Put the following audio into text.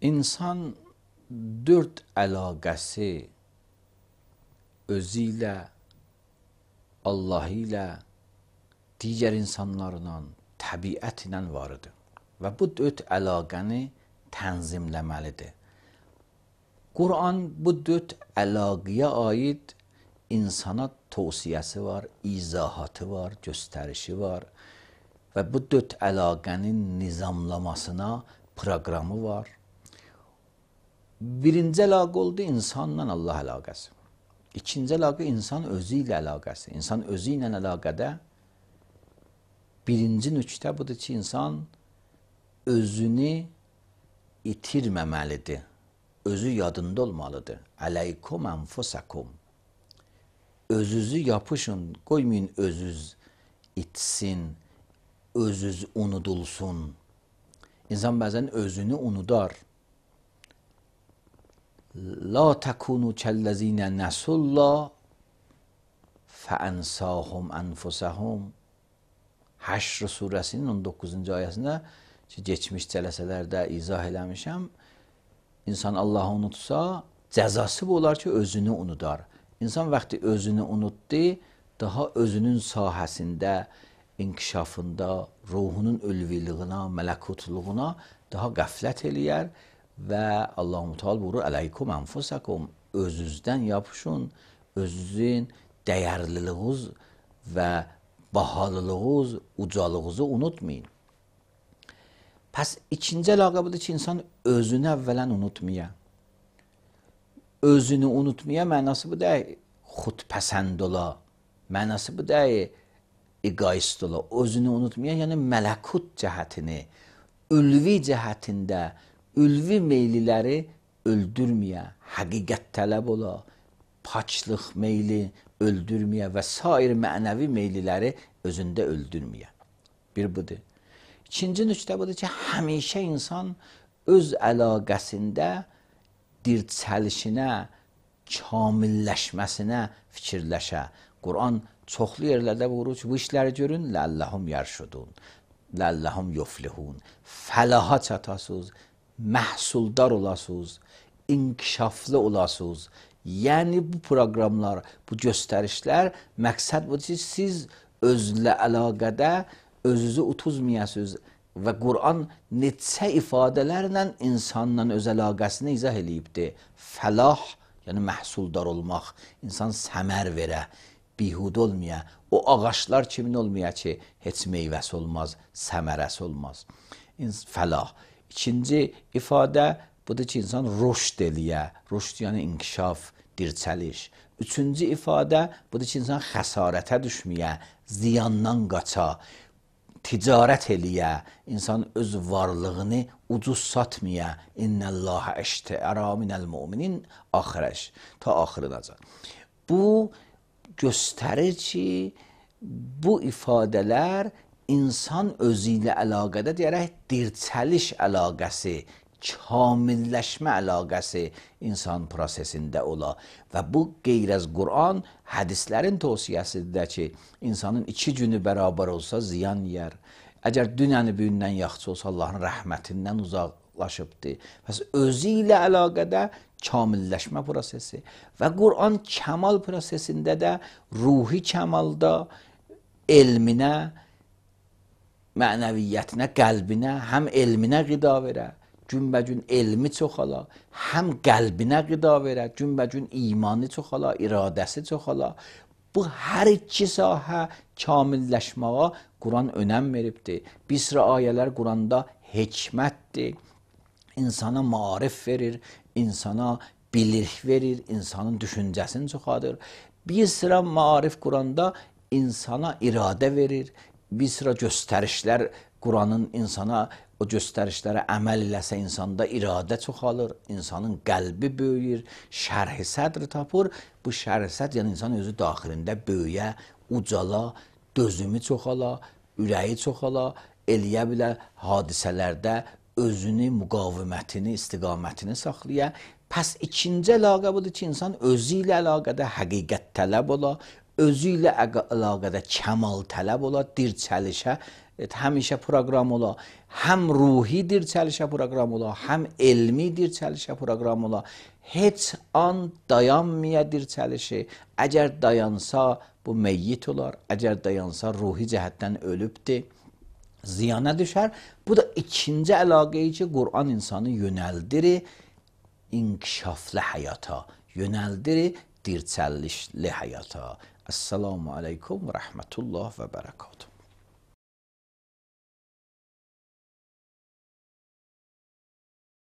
İnsan dörd əlaqəsi özü ilə, Allah ilə, digər insanlarla, təbiət ilə varıdır. Və bu dörd əlaqəni tənzimləməlidir. Quran bu dörd əlaqəyə aid insana tövsiyəsi var, izahatı var, göstərişi var və bu dörd əlaqənin nizamlamasına proqramı var. Birinci əlaqə oldu insanla Allah əlaqəsi. İkinci əlaqə insan özü ilə əlaqəsi. İnsan özü ilə əlaqədə birinci nöqtə budur ki, insan özünü itirməməlidir. Özü yadında olmalıdır. Əleykum enfusakum. Özünüzü yapışın, qoymayın özünüz itsin, özünüz unudulsun. İnsan bəzən özünü unudar. La tekunu kellezinə nəsullah fəənsahum ənfusəhum. Həşr surəsinin 19-cu ayəsində ki, geçmiş cələsələrdə izah eləmişəm, İnsan Allah'ı unutsa, cəzası bu olar ki, özünü unudar. İnsan vaxtı özünü unutdu, daha özünün sahəsində, inkişafında, ruhunun ülviliyina, mələkutluğuna daha qəflət eləyər və Allah-u Teala buyurur, əleykum enfusakum, özünüzdən yapışın, özünüzün dəyərliliğiniz və bahalılığınız, ucalığınızı unutmayın. Pəs ikinci əlaqə budur ki, insan özünü əvvələn unutmaya. Özünü unutmaya mənası bu deyil, xudpəsənd ola. Mənası bu deyil, egoist ola. Özünü unutmaya, yəni mələkut cəhətini, ülvi cəhətində, ülvi meyliləri öldürməyə, həqiqət tələb ola, paçlıq meyli öldürməyə və sair mənəvi meyliləri özündə öldürməyə. Bir budur. İkinci nöqtə budur ki, həmişə insan öz əlaqəsində dirçəlişinə, kamilləşməsinə fikirləşə. Quran çoxlu yerlərdə buyurur ki, bu işləri görün, ləlləhum yərşudun, ləlləhum yuflihun. Fəlaha çatasınız, məhsuldar olasınız, inkişaflı olasınız. Yəni bu proqramlar, bu göstərişlər, məqsəd budur ki, siz özlə əlaqədə özünüzü utuzmayasınız və Quran neçə ifadələrlə insanla öz əlaqəsini izah eləyibdir. Fəlah, yəni məhsuldar olmaq, insan səmər verə, bihud olmaya, o ağaçlar kimin olmaya ki, heç meyvəsi olmaz, səmərəsi olmaz. Fəlah. İkinci ifadə budur ki, insan rüşd eləyə, rüşd yəni inkişaf, dirçəliş. Üçüncü ifadə budur ki, insan xəsarətə düşməyə, ziyandan qaça, ticarət eləyə, insan öz varlığını ucuz satmaya, İnnəllâhə əştəərə minəl müminin axirəş, ta axırınacan. Bu göstərir ki, bu ifadələr insan özü ilə əlaqədə deyərək dirçəliş əlaqəsi, kamilləşmə əlaqəsi insan prosesində ola və bu qeyr-əz Quran hədislərin tövsiyəsidir ki, insanın 2 günü bərabər olsa ziyan yer. Əgər dünəni bugündən yaxşı olsa Allahın rəhmətindən uzaqlaşıbdır. Pəs özü ilə əlaqədə kamilləşmə prosesi və Quran kəmal prosesində də ruhi kəmalda elminə, mənəviyyətinə, qəlbinə, həm elminə qida verə, günbəgün elmi çoxala, həm qəlbinə qida verə, günbəgün imanı çoxala, iradəsi çoxala. Bu hər iki sahə kamilləşməyə Quran önəm veribdir. Bir sıra ayələr Quranda hikmətdir, insana maarif verir, insana bilik verir, insanın düşüncəsini çoxadır. Bir sıra maarif Quranda insana iradə verir, bir sıra göstərişlər Quranın insana o göstərişlərə əməl eləsə insanda iradə çoxalır, insanın qəlbi böyüyür, şərh-i sədr tapır. Bu şərh-i sədr yəni insan özü daxilində böyüyə, ucala, dözümü çoxala, ürəyi çoxala, eləyə bilər hadisələrdə özünü, müqavimətini, istiqamətini saxlaya. Pəs ikinci əlaqə budur ki, insan özü ilə əlaqədə həqiqət tələb ola, özü ilə əlaqədə kəmal tələb ola, dirçəlişə həmişə proqram ola, həm ruhi dirçəlişə proqram ola, həm elmi dirçəlişə proqram ola. Heç an dayanmaya dirçəlişi. Əgər dayansa bu meyyit olar, əgər dayansa ruhi cəhətdən ölübdür, ziyana düşər. Bu da ikinci əlaqəyi ki, Qur'an insanı yönəldirir inkişaflı həyata, yönəldirir dirçəlişli həyata. Esselamu aleykum və rəhmətullah və bərəkatuhu.